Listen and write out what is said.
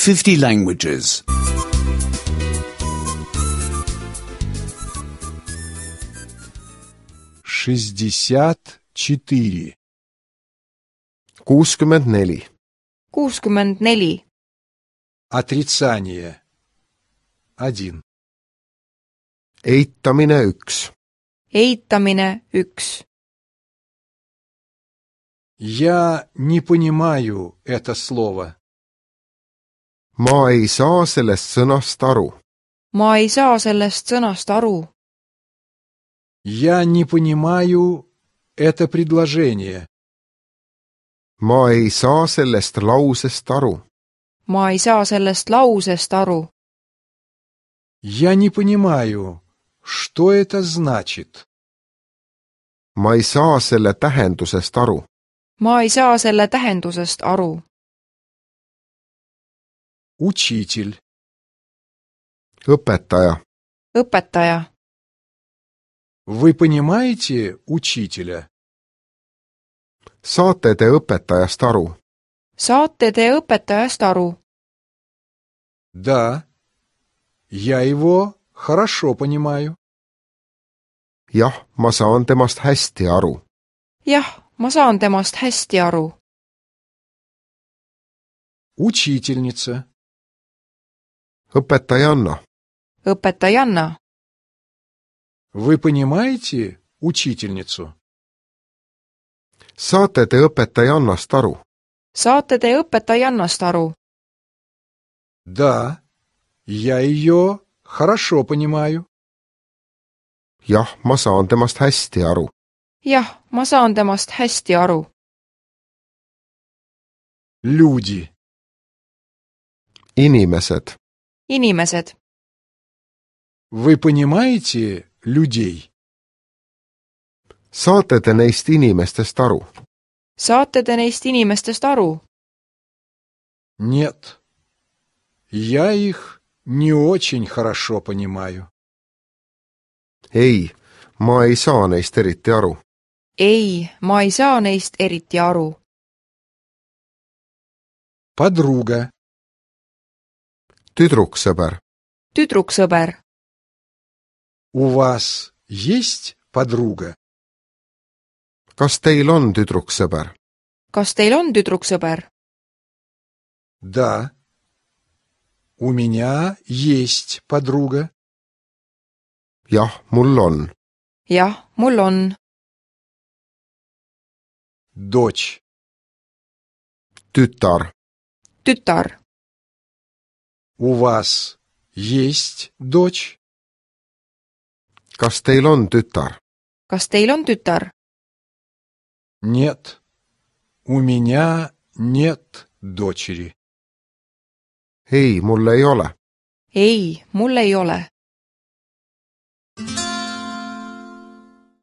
50 languages. 64. 64. 64. Отрицание. 1. Eitamine 1. Eitamine 1. Я не понимаю это слово. Ma ei saa sellest sõnast aru. Ma ei saa sellest sõnast aru. Я не понимаю это предложение. Ma ei saa sellest lausest aru. Ma ei saa sellest lausest aru. Я не понимаю, что это значит. Ma ei saa selle tähendusest aru. Ma ei saa selle tähendusest aru. Учитель. Õpetaja. Õpetaja. Вы понимаете учителя? Saate te õpetajast aru? Saate te õpetajast aru? Да, я его хорошо понимаю. Jah, ma saan temast hästi aru. Jah, ma saan temast hästi aru. Учительница. Õpetajanna. Õpetajanna. Вы понимаете учительницу? Saate te õpetajannast aru? Saate te õpetajannast aru? Да, я ее хорошо понимаю. Jah, ma saan temast hästi aru. Jah, ma saan temast hästi aru. Люди. Inimesed. Inimesed. Вы понимаете людей? Saate te neist inimestest aru? Saate te neist inimestest aru? Нет, я их не очень хорошо понимаю. Ei, ma ei saa neist eriti aru. Ei, ma ei saa neist eriti aru. Подруга. Tüdruksõber. Tüdruksõber. У вас есть подруга? Kas teil on tüdruksõber? Kas teil on tüdruksõber? Да, у меня есть подруга. Jah, mul on. Jah, mul on. Дочь. Tütar. Tütar. У вас есть дочь? Kas teil on tütar? Kas teil on tütar? Нет, у меня нет дочери. Ei, mul ei ole. Ei, mul ei ole.